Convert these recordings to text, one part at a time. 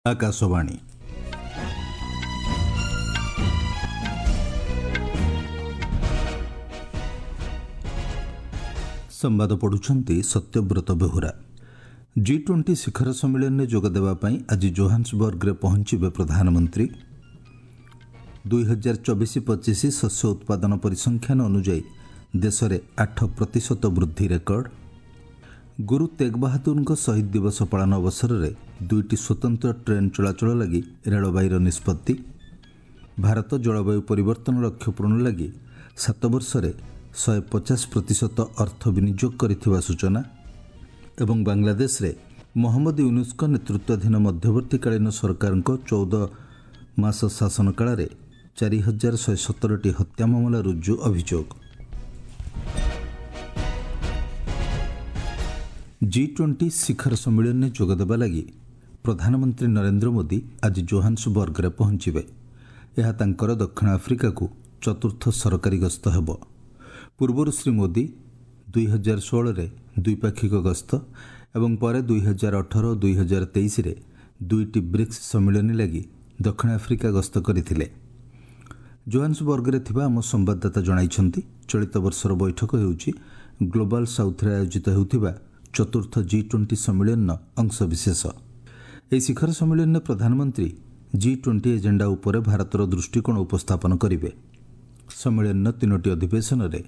ଆକାଶବାଣୀ। ସମ୍ବାଦ ପଢ଼ୁଛନ୍ତି ସତ୍ୟବ୍ରତ ବେହୁରା। ଜି 20 ଶିଖର ସମ୍ମିଳନୀରେ ଯୋଗଦେବା ପାଇଁ ଆଜି ଜୋହାନ୍ସବର୍ଗରେ ପହଞ୍ଚିବେ ପ୍ରଧାନମନ୍ତ୍ରୀ। 2024-25 ଶସ୍ୟ ଉତ୍ପାଦନ ପରିସଂଖ୍ୟାନ ଅନୁଯାୟୀ ଦେଶରେ 8% ବୃଦ୍ଧି ରେକର୍ଡ। ଗୁରୁ ତେଗ ବାହାଦୁରଙ୍କ ଶହୀଦ ଦିବସ ପାଳନ ଅବସରରେ 2ଟି ସ୍ୱତନ୍ତ୍ର ଟ୍ରେନ୍ ଚଳାଚଳ ଲାଗି ରେଳବାଇର ନିଷ୍ପତ୍ତି। ଭାରତ ଜଳବାୟୁ ପରିବର୍ତ୍ତନ ଲକ୍ଷ୍ୟ ପୂରଣ ଲାଗି 7 ବର୍ଷରେ 150% ଅର୍ଥ ବିନିଯୋଗ କରିଥିବା ସୂଚନା। ଏବଂ ବାଂଲାଦେଶରେ ମହମ୍ମଦ ୟୁନୁସ୍ଙ୍କ ନେତୃତ୍ୱାଧୀନ ମଧ୍ୟବର୍ତ୍ତୀକାଳୀନ ସରକାରଙ୍କ 14 ମାସ ଶାସନ କାଳରେ 4117ଟି ହତ୍ୟା ମାମଲା ରୁଜୁ ଅଭିଯୋଗ। ଜି 20 ଶିଖର ସମ୍ମିଳନୀରେ ଯୋଗଦେବା ଲାଗି ପ୍ରଧାନମନ୍ତ୍ରୀ ନରେନ୍ଦ୍ର ମୋଦି ଆଜି ଜୋହାନ୍ସବର୍ଗରେ ପହଞ୍ଚିବେ। ଏହା ତାଙ୍କର ଦକ୍ଷିଣ ଆଫ୍ରିକାକୁ ଚତୁର୍ଥ ସରକାରୀ ଗସ୍ତ ହେବ। ପୂର୍ବରୁ ଶ୍ରୀ ମୋଦି 2016ରେ ଦ୍ୱିପାକ୍ଷିକ ଗସ୍ତ ଏବଂ ପରେ 2018 ଓ 2023ରେ 2ଟି ବ୍ରିକ୍ସ ସମ୍ମିଳନୀ ଲାଗି ଦକ୍ଷିଣ ଆଫ୍ରିକା ଗସ୍ତ କରିଥିଲେ। ଜୋହାନ୍ସବର୍ଗରେ ଥିବା ଆମ ସମ୍ବାଦଦାତା ଜଣାଇଛନ୍ତି, ଚଳିତ ବର୍ଷର ବୈଠକ ହେଉଛି ଗ୍ଲୋବାଲ୍ ସାଉଥ୍ରେ ଆୟୋଜିତ ହେଉଥିବା ଚତୁର୍ଥ ଜି 20 ସମ୍ମିଳନୀର ଅଂଶବିଶେଷ। ଏହି ଶିଖର ସମ୍ମିଳନୀରେ ପ୍ରଧାନମନ୍ତ୍ରୀ ଜି 20 ଏଜେଣ୍ଡା ଉପରେ ଭାରତର ଦୃଷ୍ଟିକୋଣ ଉପସ୍ଥାପନ କରିବେ। ସମ୍ମିଳନୀର 3ଟି ଅଧିବେଶନରେ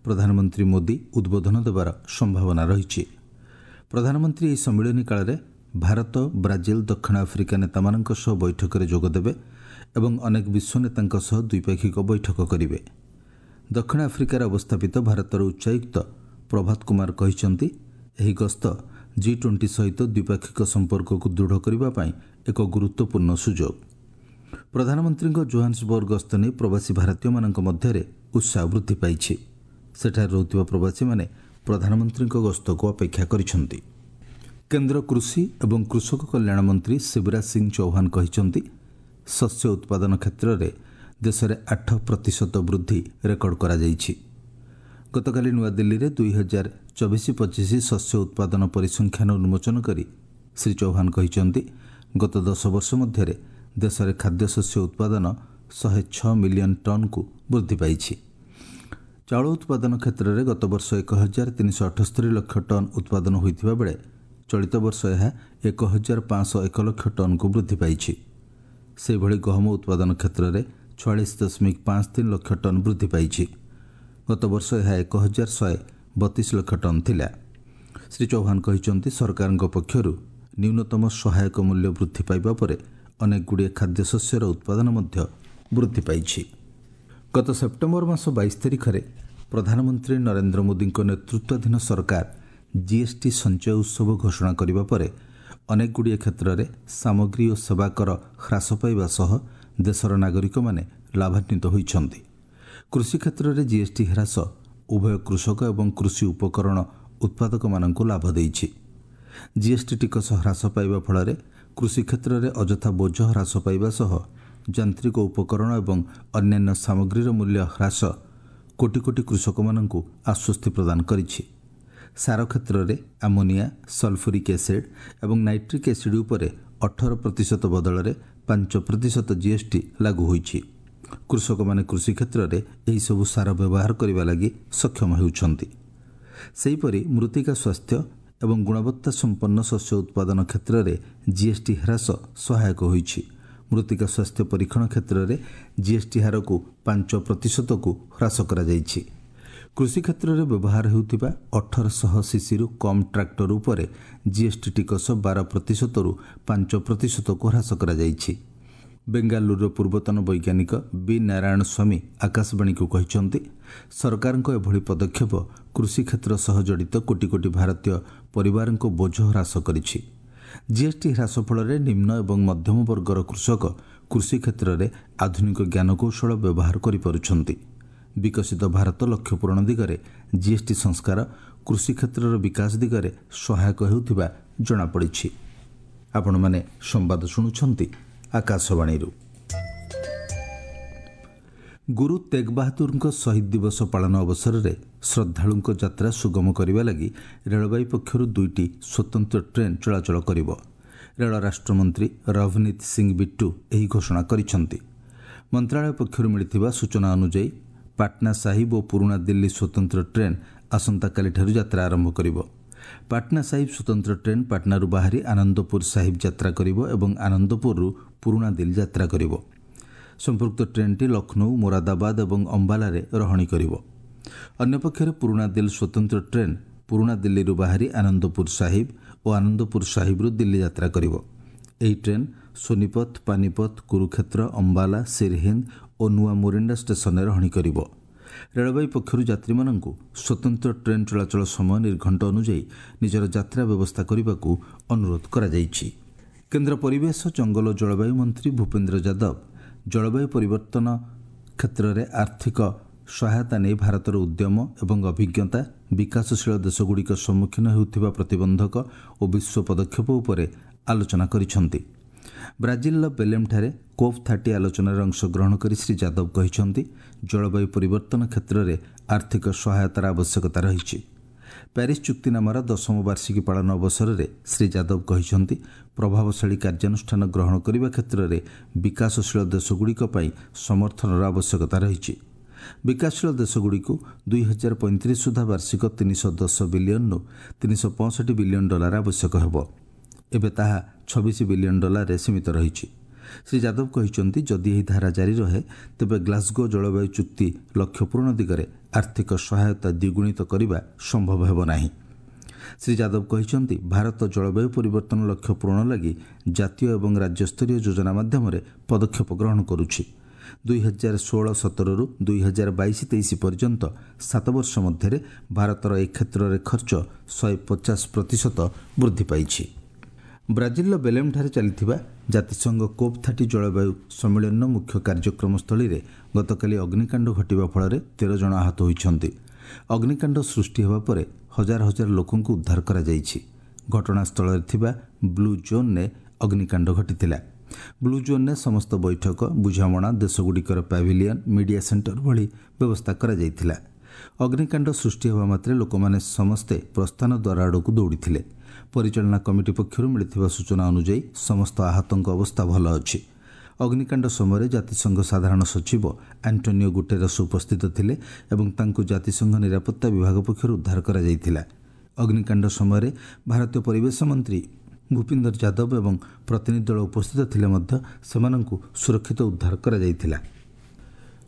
ପ୍ରଧାନମନ୍ତ୍ରୀ ମୋଦି ଉଦ୍ବୋଧନ ଦେବାର ସମ୍ଭାବନା ରହିଛି। ପ୍ରଧାନମନ୍ତ୍ରୀ ଏହି ସମ୍ମିଳନୀ କାଳରେ ଭାରତ, ବ୍ରାଜିଲ, ଦକ୍ଷିଣ ଆଫ୍ରିକା ନେତାମାନଙ୍କ ସହ ବୈଠକରେ ଯୋଗଦେବେ ଏବଂ ଅନେକ ବିଶ୍ୱ ନେତାଙ୍କ ସହ ଦ୍ୱିପାକ୍ଷିକ ବୈଠକ କରିବେ। ଦକ୍ଷିଣ ଆଫ୍ରିକାରେ ଅବସ୍ଥାପିତ ଭାରତର ଉଚ୍ଚାୟୁକ୍ତ ପ୍ରଭାତ କୁମାର କହିଛନ୍ତି, ଏହି ଗସ୍ତ ଜି 20 ସହିତ ଦ୍ୱିପାକ୍ଷିକ ସମ୍ପର୍କକୁ ଦୃଢ଼ କରିବା ପାଇଁ ଏକ ଗୁରୁତ୍ୱପୂର୍ଣ୍ଣ ସୁଯୋଗ। ପ୍ରଧାନମନ୍ତ୍ରୀଙ୍କ ଜୋହାନ୍ସବର୍ଗ ଗସ୍ତ ନେଇ ପ୍ରବାସୀ ଭାରତୀୟମାନଙ୍କ ମଧ୍ୟରେ ଉତ୍ସାହ ବୃଦ୍ଧି ପାଇଛି। ସେଠାରେ ରହୁଥିବା ପ୍ରବାସୀମାନେ ପ୍ରଧାନମନ୍ତ୍ରୀଙ୍କ ଗସ୍ତକୁ ଅପେକ୍ଷା କରିଛନ୍ତି। କେନ୍ଦ୍ର କୃଷି ଏବଂ କୃଷକ କଲ୍ୟାଣ ମନ୍ତ୍ରୀ ଶିବରାଜ ସିଂ ଚୌହାନ କହିଛନ୍ତି, ଶସ୍ୟ ଉତ୍ପାଦନ କ୍ଷେତ୍ରରେ ଦେଶରେ 8% ବୃଦ୍ଧି ରେକର୍ଡ କରାଯାଇଛି। ଗତକାଲି ନୂଆଦିଲ୍ଲୀରେ 2024-25 ଶସ୍ୟ ଉତ୍ପାଦନ ପରିସଂଖ୍ୟାନ ଉନ୍ମୋଚନ କରି ଶ୍ରୀ ଚୌହାନ କହିଛନ୍ତି, ଗତ 10 ବର୍ଷ ମଧ୍ୟରେ ଦେଶରେ ଖାଦ୍ୟଶସ୍ୟ ଉତ୍ପାଦନ 106 ମିଲିୟନ ଟନ୍କୁ ବୃଦ୍ଧି ପାଇଛି। ଚାଉଳ ଉତ୍ପାଦନ କ୍ଷେତ୍ରରେ ଗତବର୍ଷ 1378 ଲକ୍ଷ ଟନ୍ ଉତ୍ପାଦନ ହୋଇଥିବା ବେଳେ ଚଳିତ ବର୍ଷ ଏହା 1501 ଲକ୍ଷ ଟନ୍କୁ ବୃଦ୍ଧି ପାଇଛି। ସେହିଭଳି ଗହମ ଉତ୍ପାଦନ କ୍ଷେତ୍ରରେ 46.53 ଲକ୍ଷ ଟନ୍ ବୃଦ୍ଧି ପାଇଛି। ଗତବର୍ଷ ଏହା 1132 ଲକ୍ଷ ଟନ୍ ଥିଲା। ଶ୍ରୀ ଚୌହାନ କହିଛନ୍ତି, ସରକାରଙ୍କ ପକ୍ଷରୁ ନ୍ୟୁନତମ ସହାୟକ ମୂଲ୍ୟ ବୃଦ୍ଧି ପାଇବା ପରେ ଅନେକଗୁଡ଼ିଏ ଖାଦ୍ୟଶସ୍ୟର ଉତ୍ପାଦନ ମଧ୍ୟ ବୃଦ୍ଧି ପାଇଛି। ଗତ ସେପ୍ଟେମ୍ବର ମାସ 22 ତାରିଖରେ ପ୍ରଧାନମନ୍ତ୍ରୀ ନରେନ୍ଦ୍ର ମୋଦିଙ୍କ ନେତୃତ୍ୱାଧୀନ ସରକାର ଜିଏସ୍ଟି ସଞ୍ଚୟ ଉତ୍ସବ ଘୋଷଣା କରିବା ପରେ ଅନେକଗୁଡ଼ିଏ କ୍ଷେତ୍ରରେ ସାମଗ୍ରୀ ଓ ସେବା କର ହ୍ରାସ ପାଇବା ସହ ଦେଶର ନାଗରିକମାନେ ଲାଭାନ୍ୱିତ ହୋଇଛନ୍ତି। କୃଷି କ୍ଷେତ୍ରରେ ଜିଏସ୍ଟି ହ୍ରାସ ଉଭୟ କୃଷକ ଏବଂ କୃଷି ଉପକରଣ ଉତ୍ପାଦକମାନଙ୍କୁ ଲାଭ ଦେଇଛି। ଜିଏସ୍ଟି ଟିକସ ହ୍ରାସ ପାଇବା ଫଳରେ କୃଷି କ୍ଷେତ୍ରରେ ଅଯଥା ବୋଝ ହ୍ରାସ ପାଇବା ସହ ଯାନ୍ତ୍ରିକ ଉପକରଣ ଏବଂ ଅନ୍ୟାନ୍ୟ ସାମଗ୍ରୀର ମୂଲ୍ୟ ହ୍ରାସ କୋଟି କୋଟି କୃଷକମାନଙ୍କୁ ଆଶ୍ୱସ୍ତି ପ୍ରଦାନ କରିଛି। ସାର କ୍ଷେତ୍ରରେ ଆମୋନିଆ, ସଲଫୁରିକ୍ ଏସିଡ୍ ଏବଂ ନାଇଟ୍ରିକ୍ ଏସିଡ୍ ଉପରେ 18% ବଦଳରେ 5% ଜିଏସ୍ଟି ଲାଗୁ ହୋଇଛି। କୃଷକମାନେ କୃଷି କ୍ଷେତ୍ରରେ ଏହିସବୁ ସାର ବ୍ୟବହାର କରିବା ଲାଗି ସକ୍ଷମ ହେଉଛନ୍ତି। ସେହିପରି ମୃତ୍ତିକା ସ୍ୱାସ୍ଥ୍ୟ ଏବଂ ଗୁଣବତ୍ତା ସମ୍ପନ୍ନ ଶସ୍ୟ ଉତ୍ପାଦନ କ୍ଷେତ୍ରରେ ଜିଏସ୍ଟି ହ୍ରାସ ସହାୟକ ହୋଇଛି। ମୃତ୍ତିକା ସ୍ୱାସ୍ଥ୍ୟ ପରୀକ୍ଷଣ କ୍ଷେତ୍ରରେ ଜିଏସ୍ଟି ହାରକୁ 5%କୁ ହ୍ରାସ କରାଯାଇଛି। କୃଷି କ୍ଷେତ୍ରରେ ବ୍ୟବହାର ହେଉଥିବା 1800 ସିସିରୁ କମ୍ ଟ୍ରାକ୍ଟର ଉପରେ ଜିଏସ୍ଟି ଟିକସ 12%ରୁ 5%କୁ ହ୍ରାସ କରାଯାଇଛି। ବେଙ୍ଗାଲୁରୁର ପୂର୍ବତନ ବୈଜ୍ଞାନିକ ବି ନାରାୟଣ ସ୍ୱାମୀ ଆକାଶବାଣୀକୁ କହିଛନ୍ତି, ସରକାରଙ୍କ ଏଭଳି ପଦକ୍ଷେପ କୃଷି କ୍ଷେତ୍ର ସହ ଜଡ଼ିତ କୋଟି କୋଟି ଭାରତୀୟ ପରିବାରଙ୍କ ବୋଝ ହ୍ରାସ କରିଛି। ଜିଏସ୍ଟି ହ୍ରାସ ଫଳରେ ନିମ୍ନ ଏବଂ ମଧ୍ୟମ ବର୍ଗର କୃଷକ କୃଷି କ୍ଷେତ୍ରରେ ଆଧୁନିକ ଜ୍ଞାନକୌଶଳ ବ୍ୟବହାର କରିପାରୁଛନ୍ତି। ବିକଶିତ ଭାରତ ଲକ୍ଷ୍ୟ ପୂରଣ ଦିଗରେ ଜିଏସ୍ଟି ସଂସ୍କାର କୃଷି କ୍ଷେତ୍ରର ବିକାଶ ଦିଗରେ ସହାୟକ ହେଉଥିବା ଜଣାପଡ଼ିଛି। ଆପଣମାନେ ସମ୍ବାଦ ଶୁଣୁଛନ୍ତି ଆକାଶବାଣୀରୁ। ଗୁରୁ ତେଗ ବାହାଦୁରଙ୍କ ଶହୀଦ ଦିବସ ପାଳନ ଅବସରରେ ଶ୍ରଦ୍ଧାଳୁଙ୍କ ଯାତ୍ରା ସୁଗମ କରିବା ଲାଗି ରେଳବାଇ ପକ୍ଷରୁ 2ଟି ସ୍ୱତନ୍ତ୍ର ଟ୍ରେନ୍ ଚଳାଚଳ କରିବ। ରେଳ ରାଷ୍ଟ୍ରମନ୍ତ୍ରୀ ରଭନୀତ ସିଂ ବିଟ୍ଟୁ ଏହି ଘୋଷଣା କରିଛନ୍ତି। ମନ୍ତ୍ରାଳୟ ପକ୍ଷରୁ ମିଳିଥିବା ସୂଚନା ଅନୁଯାୟୀ ପାଟନା ସାହିବ ଓ ପୁରୁଣା ଦିଲ୍ଲୀ ସ୍ୱତନ୍ତ୍ର ଟ୍ରେନ୍ ଆସନ୍ତାକାଲିଠାରୁ ଯାତ୍ରା ଆରମ୍ଭ କରିବ। ପାଟନା ସାହିବ ସ୍ୱତନ୍ତ୍ର ଟ୍ରେନ୍ ପାଟନାରୁ ବାହାରି ଆନନ୍ଦପୁର ସାହିବ ଯାତ୍ରା କରିବ ଏବଂ ଆନନ୍ଦପୁରରୁ ପୁରୁଣା ଦିଲ୍ଲୀ ଯାତ୍ରା କରିବ। ସମ୍ପୃକ୍ତ ଟ୍ରେନ୍ଟି ଲକ୍ଷ୍ନୌ, ମୋରାଦାବାଦ ଏବଂ ଅମ୍ବାଲାରେ ରହଣି କରିବ। ଅନ୍ୟପକ୍ଷରେ ପୁରୁଣା ଦିଲ୍ଲୀ ସ୍ୱତନ୍ତ୍ର ଟ୍ରେନ୍ ପୁରୁଣା ଦିଲ୍ଲୀରୁ ବାହାରି ଆନନ୍ଦପୁର ସାହିବ ଓ ଆନନ୍ଦପୁର ସାହିବରୁ ଦିଲ୍ଲୀ ଯାତ୍ରା କରିବ। ଏହି ଟ୍ରେନ୍ ସୋନିପତ, ପାନିପତ, କୁରୁକ୍ଷେତ୍ର, ଅମ୍ବାଲା, ସିରହିନ୍ଦ ଓ ନୂଆ ମୋରିଣ୍ଡା ଷ୍ଟେସନରେ ରହଣି କରିବ। ରେଳବାଇ ପକ୍ଷରୁ ଯାତ୍ରୀମାନଙ୍କୁ ସ୍ୱତନ୍ତ୍ର ଟ୍ରେନ୍ ଚଳାଚଳ ସମୟ ନିର୍ଘଣ୍ଟ ଅନୁଯାୟୀ ନିଜର ଯାତ୍ରା ବ୍ୟବସ୍ଥା କରିବାକୁ ଅନୁରୋଧ କରାଯାଇଛି। କେନ୍ଦ୍ର ପରିବେଶ, ଜଙ୍ଗଲ ଓ ଜଳବାୟୁ ମନ୍ତ୍ରୀ ଭୂପେନ୍ଦ୍ର ଯାଦବ ଜଳବାୟୁ ପରିବର୍ତ୍ତନ କ୍ଷେତ୍ରରେ ଆର୍ଥିକ ସହାୟତା ନେଇ ଭାରତର ଉଦ୍ୟମ ଏବଂ ଅଭିଜ୍ଞତା, ବିକାଶଶୀଳ ଦେଶଗୁଡ଼ିକ ସମ୍ମୁଖୀନ ହେଉଥିବା ପ୍ରତିବନ୍ଧକ ଓ ବିଶ୍ୱ ପଦକ୍ଷେପ ଉପରେ ଆଲୋଚନା କରିଛନ୍ତି। ବ୍ରାଜିଲର ବେଲେମ୍ଠାରେ କୋପ୍ 30 ଆଲୋଚନାରେ ଅଂଶଗ୍ରହଣ କରି ଶ୍ରୀ ଯାଦବ କହିଛନ୍ତି, ଜଳବାୟୁ ପରିବର୍ତ୍ତନ କ୍ଷେତ୍ରରେ ଆର୍ଥିକ ସହାୟତାର ଆବଶ୍ୟକତା ରହିଛି। ପ୍ୟାରିସ୍ ଚୁକ୍ତିନାମାର 10ମ ବାର୍ଷିକୀ ପାଳନ ଅବସରରେ ଶ୍ରୀ ଯାଦବ କହିଛନ୍ତି, ପ୍ରଭାବଶାଳୀ କାର୍ଯ୍ୟାନୁଷ୍ଠାନ ଗ୍ରହଣ କରିବା କ୍ଷେତ୍ରରେ ବିକାଶଶୀଳ ଦେଶଗୁଡ଼ିକ ପାଇଁ ସମର୍ଥନର ଆବଶ୍ୟକତା ରହିଛି। ବିକାଶଶୀଳ ଦେଶଗୁଡ଼ିକୁ 2035 ସୁଦ୍ଧା ବାର୍ଷିକ 310 ବିଲିୟନରୁ 365 ବିଲିୟନ ଡଲାର ଆବଶ୍ୟକ ହେବ। ଏବେ ତାହା 26 ବିଲିୟନ ଡଲାରରେ ସୀମିତ ରହିଛି। ଶ୍ରୀ ଯାଦବ କହିଛନ୍ତି, ଯଦି ଏହି ଧାରା ଜାରି ରହେ ତେବେ ଗ୍ଲାସଗୋ ଜଳବାୟୁ ଚୁକ୍ତି ଲକ୍ଷ୍ୟ ପୂରଣ ଦିଗରେ ଆର୍ଥିକ ସହାୟତା ଦ୍ୱିଗୁଣିତ କରିବା ସମ୍ଭବ ହେବ ନାହିଁ। ଶ୍ରୀ ଯାଦବ କହିଛନ୍ତି, ଭାରତ ଜଳବାୟୁ ପରିବର୍ତ୍ତନ ଲକ୍ଷ୍ୟ ପୂରଣ ଲାଗି ଜାତୀୟ ଏବଂ ରାଜ୍ୟସ୍ତରୀୟ ଯୋଜନା ମାଧ୍ୟମରେ ପଦକ୍ଷେପ ଗ୍ରହଣ କରୁଛି। 2016-17ରୁ 2022-23 ପର୍ଯ୍ୟନ୍ତ 7 ବର୍ଷ ମଧ୍ୟରେ ଭାରତର ଏ କ୍ଷେତ୍ରରେ ଖର୍ଚ୍ଚ 150% ବୃଦ୍ଧି ପାଇଛି। ବ୍ରାଜିଲର ବେଲେମ୍ଠାରେ ଚାଲିଥିବା ଜାତିସଂଘ କୋପ୍ 30 ଜଳବାୟୁ ସମ୍ମିଳନୀର ମୁଖ୍ୟ କାର୍ଯ୍ୟକ୍ରମସ୍ଥଳୀରେ ଗତକାଲି ଅଗ୍ନିକାଣ୍ଡ ଘଟିବା ଫଳରେ 13 ଜଣ ଆହତ ହୋଇଛନ୍ତି। ଅଗ୍ନିକାଣ୍ଡ ସୃଷ୍ଟି ହେବା ପରେ ହଜାର ହଜାର ଲୋକଙ୍କୁ ଉଦ୍ଧାର କରାଯାଇଛି। ଘଟଣାସ୍ଥଳରେ ଥିବା ବ୍ଲୁ ଜୋନ୍ରେ ଅଗ୍ନିକାଣ୍ଡ ଘଟିଥିଲା। ବ୍ଲୁ ଜୋନ୍ରେ ସମସ୍ତ ବୈଠକ, ବୁଝାମଣା, ଦେଶଗୁଡ଼ିକର ପ୍ୟାଭିଲିୟନ୍, ମିଡିଆ ସେଣ୍ଟର ଭଳି ବ୍ୟବସ୍ଥା କରାଯାଇଥିଲା। ଅଗ୍ନିକାଣ୍ଡ ସୃଷ୍ଟି ହେବା ମାତ୍ରେ ଲୋକମାନେ ସମସ୍ତେ ପ୍ରସ୍ଥାନ ଦ୍ୱାର ଆଡ଼କୁ ଦୌଡ଼ିଥିଲେ। ପରିଚାଳନା କମିଟି ପକ୍ଷରୁ ମିଳିଥିବା ସୂଚନା ଅନୁଯାୟୀ ସମସ୍ତ ଆହତଙ୍କ ଅବସ୍ଥା ଭଲ ଅଛି। ଅଗ୍ନିକାଣ୍ଡ ସମୟରେ ଜାତିସଂଘ ସାଧାରଣ ସଚିବ ଆଣ୍ଟୋନିଓ ଗୁଟେରସ୍ ଉପସ୍ଥିତ ଥିଲେ ଏବଂ ତାଙ୍କୁ ଜାତିସଂଘ ନିରାପତ୍ତା ବିଭାଗ ପକ୍ଷରୁ ଉଦ୍ଧାର କରାଯାଇଥିଲା। ଅଗ୍ନିକାଣ୍ଡ ସମୟରେ ଭାରତୀୟ ପରିବେଶ ମନ୍ତ୍ରୀ ଭୂପିନ୍ଦର ଯାଦବ ଏବଂ ପ୍ରତିନିଧି ଦଳ ଉପସ୍ଥିତ ଥିଲେ ମଧ୍ୟ ସେମାନଙ୍କୁ ସୁରକ୍ଷିତ ଉଦ୍ଧାର କରାଯାଇଥିଲା।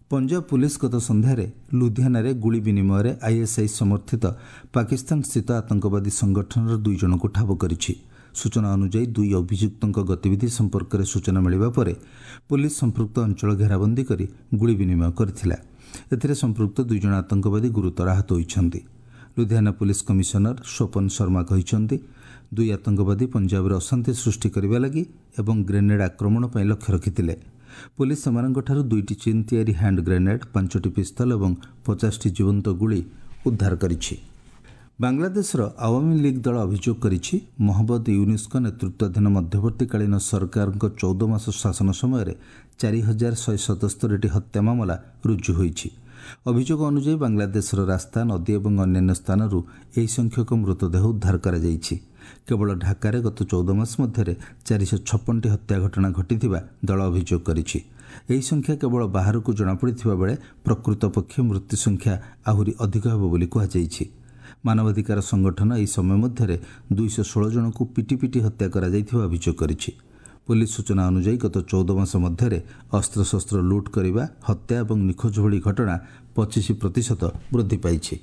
ପଞ୍ଜାବ ପୁଲିସ ଗତ ସନ୍ଧ୍ୟାରେ ଲୁଧିଆନାରେ ଗୁଳି ବିନିମୟରେ ଆଇଏସ୍ଆଇ ସମର୍ଥିତ ପାକିସ୍ତାନ ସ୍ଥିତ ଆତଙ୍କବାଦୀ ସଂଗଠନର 2 ଜଣଙ୍କୁ ଠାବ କରିଛି। ସୂଚନା ଅନୁଯାୟୀ 2 ଅଭିଯୁକ୍ତଙ୍କ ଗତିବିଧି ସମ୍ପର୍କରେ ସୂଚନା ମିଳିବା ପରେ ପୁଲିସ ସମ୍ପୃକ୍ତ ଅଞ୍ଚଳ ଘେରାବନ୍ଦୀ କରି ଗୁଳି ବିନିମୟ କରିଥିଲା। ଏଥିରେ ସମ୍ପୃକ୍ତ 2 ଜଣ ଆତଙ୍କବାଦୀ ଗୁରୁତର ଆହତ ହୋଇଛନ୍ତି। ଲୁଧିଆନା ପୁଲିସ କମିଶନର ସ୍ୱପନ ଶର୍ମା କହିଛନ୍ତି, 2 ଆତଙ୍କବାଦୀ ପଞ୍ଜାବରେ ଅଶାନ୍ତି ସୃଷ୍ଟି କରିବା ଲାଗି ଏବଂ ଗ୍ରେନେଡ୍ ଆକ୍ରମଣ ପାଇଁ ଲକ୍ଷ୍ୟ ରଖିଥିଲେ। ପୁଲିସ ସେମାନଙ୍କଠାରୁ 2ଟି ଚୀନ ତିଆରି ହ୍ୟାଣ୍ଡ ଗ୍ରେନେଡ୍, 5ଟି ପିସ୍ତଲ ଏବଂ 50ଟି ଜୀବନ୍ତ ଗୁଳି ଉଦ୍ଧାର କରିଛି। ବାଂଲାଦେଶର ଆୱାମୀ ଲିଗ୍ ଦଳ ଅଭିଯୋଗ କରିଛି, ମହମ୍ମଦ ୟୁନିସ୍ଙ୍କ ନେତୃତ୍ୱାଧୀନ ମଧ୍ୟବର୍ତ୍ତୀକାଳୀନ ସରକାରଙ୍କ 14 ମାସ ଶାସନ ସମୟରେ 4177ଟି ହତ୍ୟା ମାମଲା ରୁଜୁ ହୋଇଛି। ଅଭିଯୋଗ ଅନୁଯାୟୀ ବାଂଲାଦେଶର ରାସ୍ତା, ନଦୀ ଏବଂ ଅନ୍ୟାନ୍ୟ ସ୍ଥାନରୁ ଏହି ସଂଖ୍ୟକ ମୃତଦେହ ଉଦ୍ଧାର କରାଯାଇଛି। କେବଳ ଢାକାରେ ଗତ 14 ମାସ ମଧ୍ୟରେ 456ଟି ହତ୍ୟା ଘଟଣା ଘଟିଥିବା ଦଳ ଅଭିଯୋଗ କରିଛି। ଏହି ସଂଖ୍ୟା କେବଳ ବାହାରକୁ ଜଣାପଡ଼ିଥିବା ବେଳେ ପ୍ରକୃତ ପକ୍ଷେ ମୃତ୍ୟୁ ସଂଖ୍ୟା ଆହୁରି ଅଧିକ ହେବ ବୋଲି କୁହାଯାଇଛି। ମାନବାଧିକାର ସଂଗଠନ ଏହି ସମୟ ମଧ୍ୟରେ 216 ଜଣଙ୍କୁ ପିଟି ପିଟି ହତ୍ୟା କରାଯାଇଥିବା ଅଭିଯୋଗ କରିଛି। ପୁଲିସ ସୂଚନା ଅନୁଯାୟୀ ଗତ 14 ମାସ ମଧ୍ୟରେ ଅସ୍ତ୍ରଶସ୍ତ୍ର ଲୁଟ୍ କରିବା, ହତ୍ୟା ଏବଂ ନିଖୋଜ ଭଳି ଘଟଣା 25% ବୃଦ୍ଧି ପାଇଛି।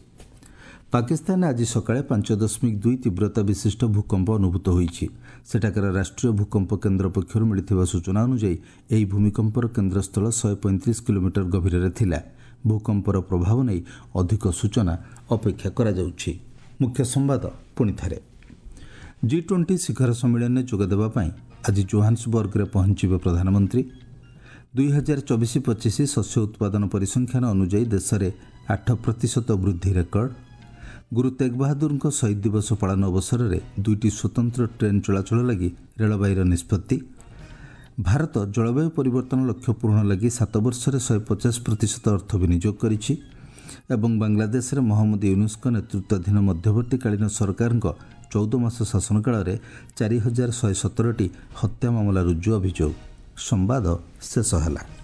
ପାକିସ୍ତାନରେ ଆଜି ସକାଳେ 5.2 ତୀବ୍ରତା ବିଶିଷ୍ଟ ଭୂକମ୍ପ ଅନୁଭୂତ ହୋଇଛି। ସେଠାକାର ରାଷ୍ଟ୍ରୀୟ ଭୂକମ୍ପ କେନ୍ଦ୍ର ପକ୍ଷରୁ ମିଳିଥିବା ସୂଚନା ଅନୁଯାୟୀ ଏହି ଭୂମିକମ୍ପର କେନ୍ଦ୍ରସ୍ଥଳ 135 କିଲୋମିଟର ଗଭୀରରେ ଥିଲା। ଭୂକମ୍ପର ପ୍ରଭାବ ନେଇ ଅଧିକ ସୂଚନା ଅପେକ୍ଷା କରାଯାଉଛି। ମୁଖ୍ୟ ସମ୍ବାଦ ପୁଣି ଥରେ। G20 ଶିଖର ସମ୍ମିଳନୀରେ ଯୋଗଦେବା ପାଇଁ ଆଜି ଜୋହାନ୍ସବର୍ଗରେ ପହଞ୍ଚିବେ ପ୍ରଧାନମନ୍ତ୍ରୀ। 2024-25 ଶସ୍ୟ ଉତ୍ପାଦନ ପରିସଂଖ୍ୟାନ ଅନୁଯାୟୀ ଦେଶରେ 8% ବୃଦ୍ଧି ରେକର୍ଡ। ଗୁରୁ ତେଗ ବାହାଦୁରଙ୍କ ଶହୀଦ ଦିବସ ପାଳନ ଅବସରରେ 2ଟି ସ୍ୱତନ୍ତ୍ର ଟ୍ରେନ୍ ଚଳାଚଳ ଲାଗି ରେଳବାଇର ନିଷ୍ପତ୍ତି। ଭାରତ ଜଳବାୟୁ ପରିବର୍ତ୍ତନ ଲକ୍ଷ୍ୟ ପୂରଣ ଲାଗି 7 ବର୍ଷରେ 150% ଅର୍ଥ ବିନିଯୋଗ କରିଛି। ଏବଂ ବାଂଲାଦେଶରେ ମହମ୍ମଦ ୟୁନୁସ୍ଙ୍କ ନେତୃତ୍ୱାଧୀନ ମଧ୍ୟବର୍ତ୍ତୀକାଳୀନ ସରକାରଙ୍କ 14 ମାସ ଶାସନକାଳରେ 4117ଟି ହତ୍ୟା ମାମଲା ରୁଜୁ ଅଭିଯୋଗ। ସମ୍ବାଦ ଶେଷ ହେଲା।